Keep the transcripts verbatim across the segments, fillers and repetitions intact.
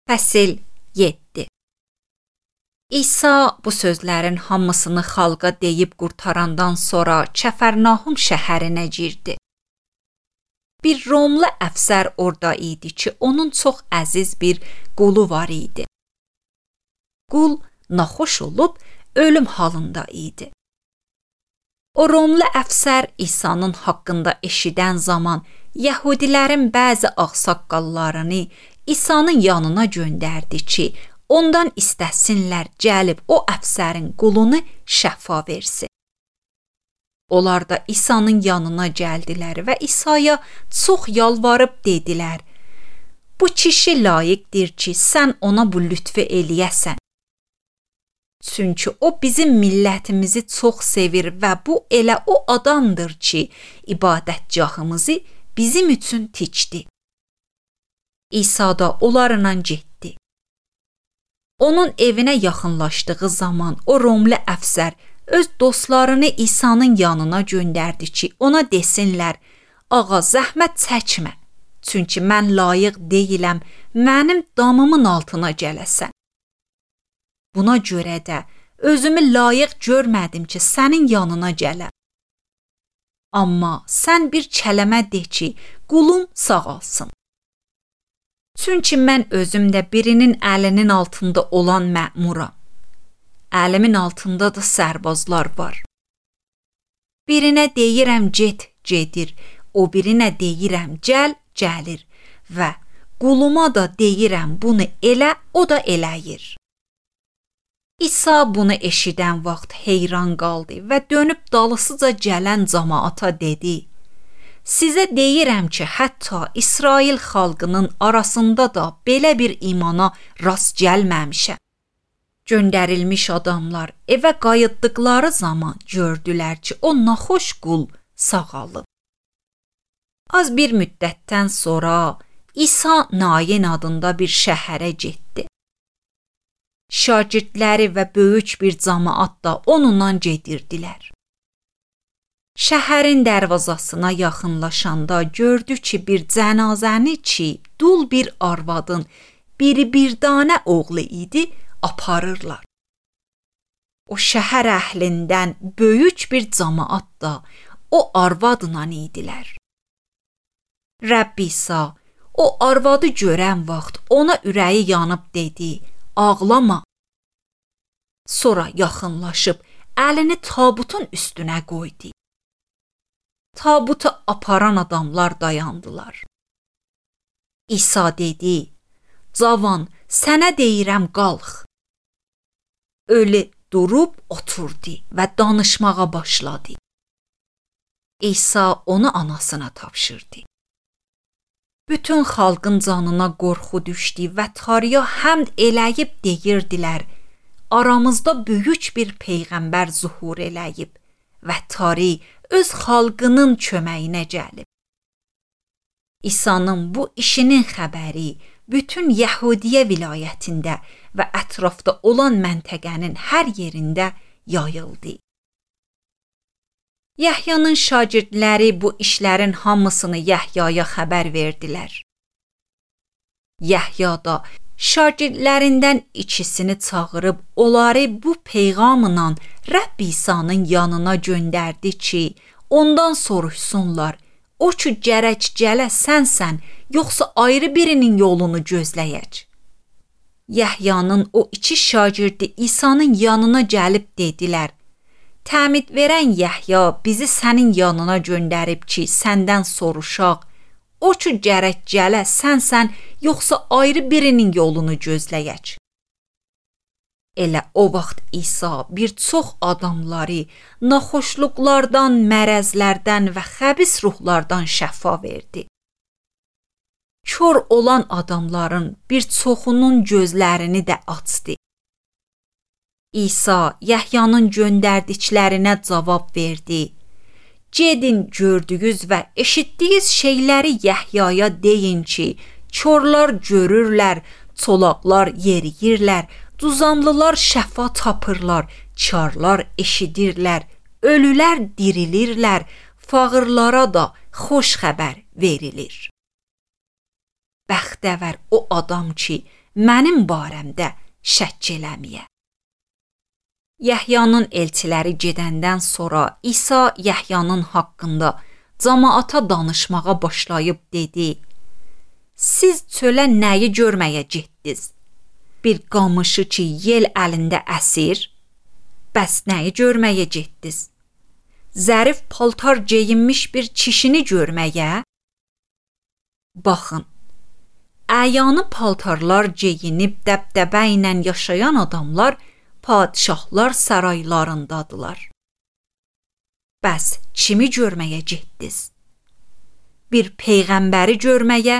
Fəsil yeddi. İsa bu sözlərin hamısını xalqa deyib qurtarandan sonra Kəfərnahum şəhərinə girdi. Bir Romlu əfsər orada idi ki, onun çox əziz bir qulu var idi. Qul naxoş olub ölüm halında idi. O Romlu əfsər İsa'nın haqqında eşidən zaman Yəhudilərin bəzi ağsaqqallarını İsa'nın yanına göndərdi ki, ondan istəsinlər gəlib o əfsərin qulunu şəfa versin. Onlar da İsa'nın yanına gəldilər və İsa'ya çox yalvarıb dedilər: "Bu kişi layiqdir ki, sən ona bu lütfü eləyəsən. Çünki o bizim millətimizi çox sevir və bu elə o adamdır ki, ibadətgahımızı bizim üçün tikdi." İsa da onlarla getdi. Onun evinə yaxınlaşdığı zaman o Romlu əfsər öz dostlarını İsa'nın yanına göndərdi ki, ona desinlər: "Ağa, zəhmət çəkmə, çünki mən layiq deyiləm mənim damımın altına gələsən. Buna görə də özümü layiq görmədim ki, sənin yanına gələm. Amma sən bir kələmə de ki, qulum sağalsın. Çünki mən özüm də birinin əlinin altında olan məmuram. Əlimin altında da sərbazlar var. Birinə deyirəm get, gedir, o birinə deyirəm gəl, gəlir və quluma da deyirəm bunu elə, o da eləyir." İsa bunu eşidən vaxt heyran qaldı və dönüb dalısıca gələn cəmaata dedi: "Sizə deyirəm ki, hətta İsrail xalqının arasında da belə bir imana rast gəlməmişəm." Göndərilmiş adamlar evə qayıtdıqları zaman gördülər ki, o naxoş qul sağalıb. Az bir müddətdən sonra İsa Nayin adında bir şəhərə getdi. Şagirdləri və böyük bir cəmaat da onunla gedirdilər. Şəhərin dərvazasına yaxınlaşanda gördü ki, bir cənazəni ki, dul bir arvadın biri bir dənə oğlu idi, aparırlar. O şəhər əhlindən böyük bir cəmaat da o arvadla idilər. Rəbb İsa o arvadı görən vaxt ona ürəyi yanıb dedi: "Ağlama." Sonra yaxınlaşıb əlini tabutun üstünə qoydu. Tabutu aparan adamlar dayandılar. İsa dedi: "Cavan, sənə deyirəm, qalx." Ölü durub oturdu və danışmağa başladı. İsa onu anasına tapşırdı. Bütün xalqın canına qorxu düşdü və tarıya həmd eləyib deyirdilər: "Aramızda böyük bir peyğəmbər zuhur eləyib və tarı öz xalqının köməyinə gəlib." İsa'nın bu işinin xəbəri bütün Yəhudiyyə vilayətində və ətrafda olan məntəqənin hər yerində yayıldı. Yəhyanın şagirdləri bu işlərin hamısını Yəhyaya xəbər verdilər. Yəhya da şagirdlərindən ikisini çağırıb onları bu peyğamla Rəbb İsa'nın yanına göndərdi ki, ondan soruşsunlar: "O ki gərək gələ sənsən, yoxsa ayrı birinin yolunu gözləyək?" Yəhyanın o iki şagirdi İsa'nın yanına gəlib dedilər: "Təmid verən Yəhya bizi sənin yanına göndərib ki, səndən soruşaq: O ki gərək gələ sənsən, yoxsa ayrı birinin yolunu gözləyək?" Elə o vaxt İsa bir çox adamları naxoşluqlardan, mərəzlərdən və xəbis ruhlardan şəfa verdi. Kör olan adamların bir çoxunun gözlərini də açdı. İsa Yəhyanın göndərdiklərinə cavab verdi: "Gedin, gördüyünüz və eşitdiyiniz şeyləri Yəhyaya deyin ki, körlər görürlər, çolaqlar yeriyirlər, duzamlılar şəfa tapırlar, karlar eşidirlər, ölülər dirilirlər, fağırlara da xoş xəbər verilir." Bəxtəvər o adam ki, mənim barəmdə şəkk eləməyə. Yəhyanın elçiləri gedəndən sonra İsa Yəhyanın haqqında cəmaata danışmağa başlayıb dedi: Siz çölə nəyi görməyə getdiniz? Bir qamışı ki, yel əlində əsir? Bəs nəyi görməyə getdiniz? Zərif paltar geyinmiş bir kişini görməyə? Baxın, əyanı paltarlar geyinib dəbdəbə ilə yaşayan adamlar padişahlar saraylarındadılar. Bəs kimi görməyə getdiniz? Bir peyğəmbəri görməyə?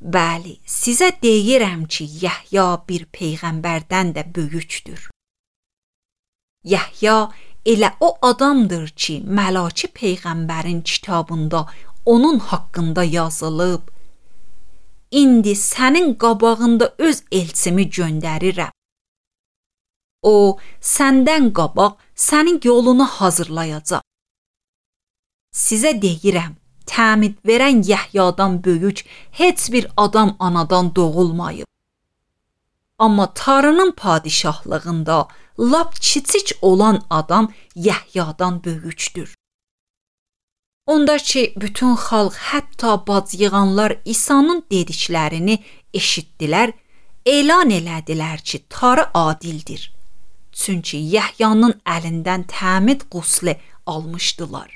Bəli, sizə deyirəm ki, Yəhya bir peyğəmbərdən də böyükdür. Yəhya elə o adamdır ki, Məlaki peyğəmbərin kitabında onun haqqında yazılıb: İndi sənin qabağında öz elçimi göndərirəm. O, səndən qabaq sənin yolunu hazırlayacaq. Sizə deyirəm, təmid verən Yəhyadan böyük heç bir adam anadan doğulmayıb. Amma Tanrının padişahlığında lap kiçik olan adam Yəhyadan böyükdür. Onda ki, bütün xalq, hətta bacıyığanlar İsa'nın dediklərini eşitdilər, elan elədilər ki, Tanrı adildir. Çünki Yəhyanın əlindən təmid qusli almışdılar.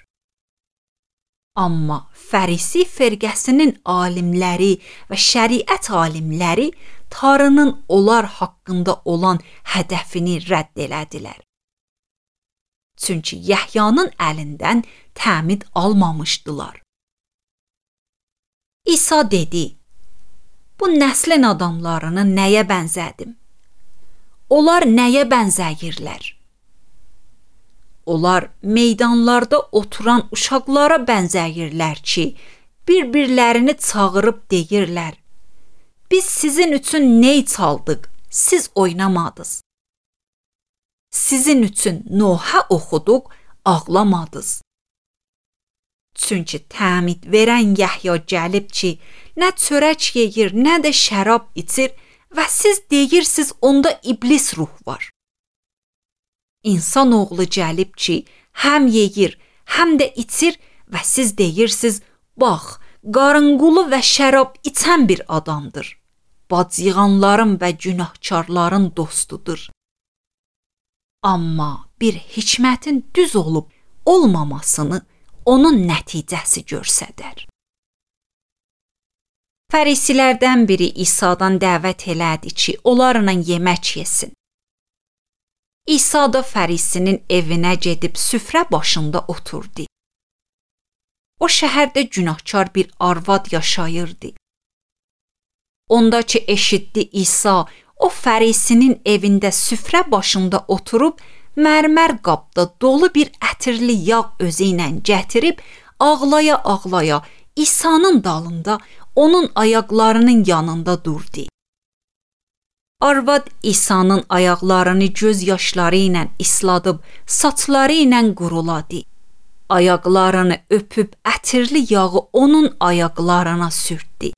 Amma Fərisi firqəsinin alimləri və şəriət alimləri Tanrının onlar haqqında olan hədəfini rədd elədilər. Çünki Yəhyanın əlindən təmid almamışdılar. İsa dedi: Bu nəslin adamlarını nəyə bənzədim? Onlar nəyə bənzəyirlər? Onlar meydanlarda oturan uşaqlara bənzəyirlər ki, bir-birlərini çağırıb deyirlər: Biz sizin üçün ney çaldıq, siz oynamadınız. Sizin üçün Nohə oxuduq, ağlamadınız. Çünki təmid verən Yəhya gəlib ki, nə çörək yeyir, nə də şərab içir və siz deyirsiniz onda iblis ruh var. İnsan oğlu gəlib ki, həm yeyir, həm də içir və siz deyirsiniz, bax, qarınqulu və şərab içən bir adamdır. Bacıyığanların və günahkarların dostudur. Amma bir hikmətin düz olub olmamasını onun nəticəsi göstərər. Fərisilərdən biri İsa'dan dəvət elədi ki, onlarla yemək yesin. İsa da fərisinin evinə gedib süfrə başında oturdu. O şəhərdə günahkar bir arvad yaşayırdı. Onda ki eşitdi İsa o fərisinin evində süfrə başında oturub, mərmər qabda dolu bir ətirli yağ özü ilə gətirib, ağlaya-ağlaya İsa'nın dalında onun ayaqlarının yanında durdu. Arvad İsa'nın ayaqlarını göz yaşları ilə isladıb, saçları ilə quruladı. Ayaqlarını öpüb ətirli yağı onun ayaqlarına sürtdü.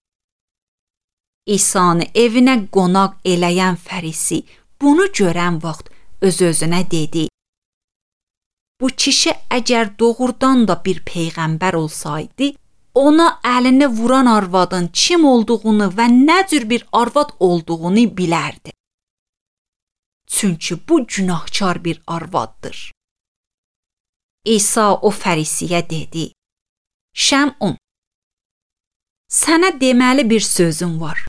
İsa'nı evinə qonaq eləyən fərisi bunu görən vaxt öz-özünə dedi: Bu kişi əgər doğrudan da bir peyğəmbər olsaydı, ona əlini vuran arvadın kim olduğunu və nə cür bir arvad olduğunu bilərdi. Çünki bu günahkar bir arvaddır. İsa o fərisiyə dedi: Şəmun, sənə deməli bir sözüm var.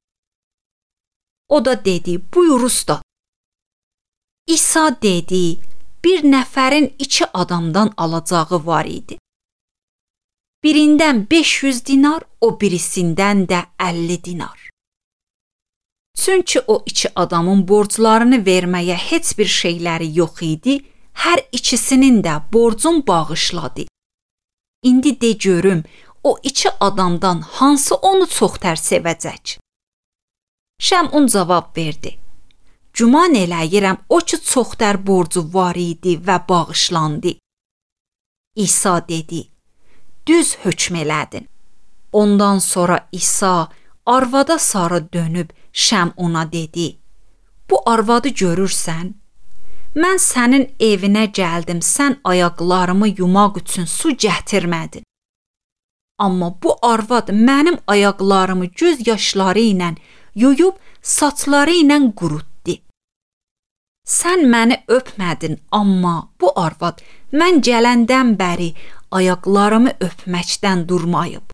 O da dedi: Buyur usta. İsa dedi: Bir nəfərin iki adamdan alacağı var idi. Birindən beş yüz dinar, o birisindən də əlli dinar. Çünki o iki adamın borclarını verməyə heç bir şeyləri yox idi, hər ikisinin də borcun bağışladı. İndi de görüm, o iki adamdan hansı onu çoxtər sevəcək? Şəmun cavab verdi: Güman eləyirəm o ki çoxtər borcu var idi və bağışlandı. İsa dedi: Düz hökm elədin. Ondan sonra İsa arvada sarı dönüb Şəm ona dedi: "Bu arvadı görürsən? Mən sənin evinə gəldim, sən ayaqlarımı yumaq üçün su gətirmədin. Amma bu arvad mənim ayaqlarımı göz yaşları ilə yuyub saçları ilə qurutdu. Sən məni öpmədin, amma bu arvad mən gələndən bəri ayaqlarımı öpməkdən durmayıb.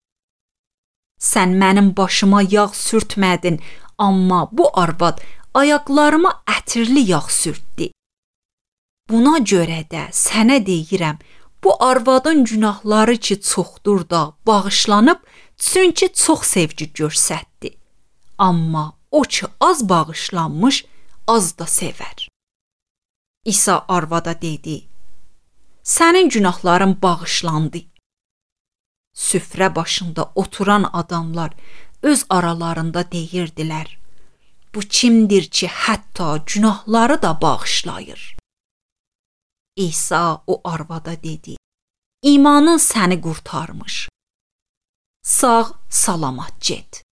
Sən mənim başıma yağ sürtmədin, amma bu arvad ayaqlarıma ətirli yağ sürtdü. Buna görə də sənə deyirəm, bu arvadın günahları ki çoxdur da bağışlanıb, çünki çox sevgi göstərdi. Amma o ki az bağışlanmış, az da sevər." İsa arvada dedi: "Sənin günahların bağışlandı." Süfrə başında oturan adamlar öz aralarında deyirdilər: "Bu kimdir ki, hətta günahları da bağışlayır?" İsa o arvada dedi: "İmanın səni qurtarmış. Sağ salamat get."